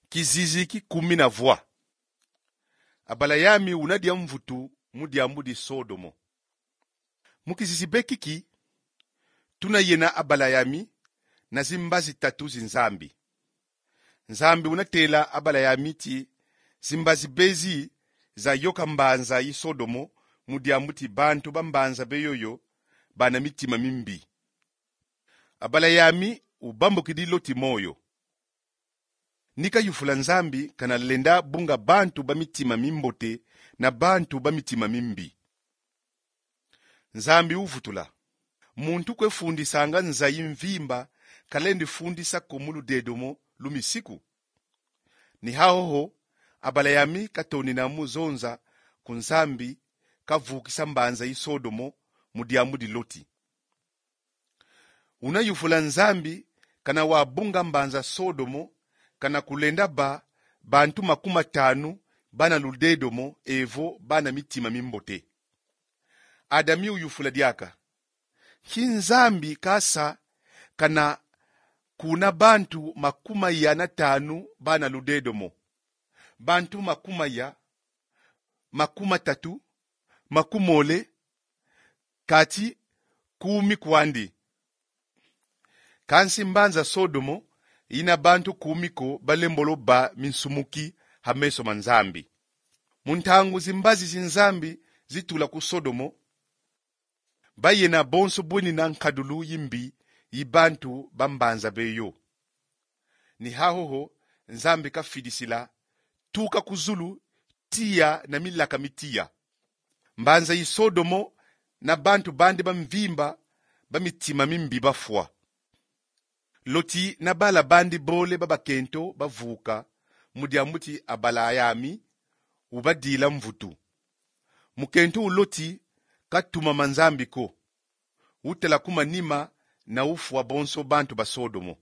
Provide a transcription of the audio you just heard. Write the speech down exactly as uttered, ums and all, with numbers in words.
Kizizi ki kumi na vwa. Abalayami una dia mvutu mu diambu di Sodomo. Mu kizizi be kiki, tuna yena Abalayami na zimbazi tatu zi Nzambi. Nzambi una tela Abalayami ti zimbazi be zi zayoka mbanza yi Sodomo, mu diambu ti bantu ba mbanza be yoyo bana mitima mimbi. Abalayami ubambukidi Loti moyo. Ni kayufula Nzambi kana lenda bunga bantu ba mitima mimbote na bantu ba mitima mimbi. Nzambi uvutula: Muntu kwe fundisanga nza yi mvimba, kalendi fundisa ko mu ludedomo lu misiku? Ni hahoho, Abalayami katonina mu zonza ku Nzambi, kavukisa mbanza yi Sodomo mu diambu di Loti. Una yufula Nzambi kana wabunga mbanza Sodomo, kana kulenda ba bantu makumi matanu bana ludedomo, evo bana mitima mimbote. Adami uyufula diaka: Nki Nzambi kasa kana kuna bantu makumi maya na tanu bana ludedomo, bantu makumi maya, makumi matatu, makumi mole, kati kumi kwandi? Kansi mbanza Sodomo ina bantu kumi ko balembolo ba minsumuki ha meso ma Nzambi. Mu ntangu zimbazi zi Nzambi zitula ku Sodomo, bayena bonso bwenina nkadulu yi mbi yi bantu ba mbanza be yo. Ni hahoho Nzambi kafidisila: Tuka ku zulu, tiya na milaka mi tiya. Mbanza yi Sodomo na bantu bandi ba mvimba ba mitima mimbi bafwa. Loti na bala bandi bole ba bakento bavuka, mu diambu ti Abalayami ubadila mvutu. Mukento u Loti katumama Nzambi ko. Utala ku manima na ufwa bonso bantu ba Sodomo.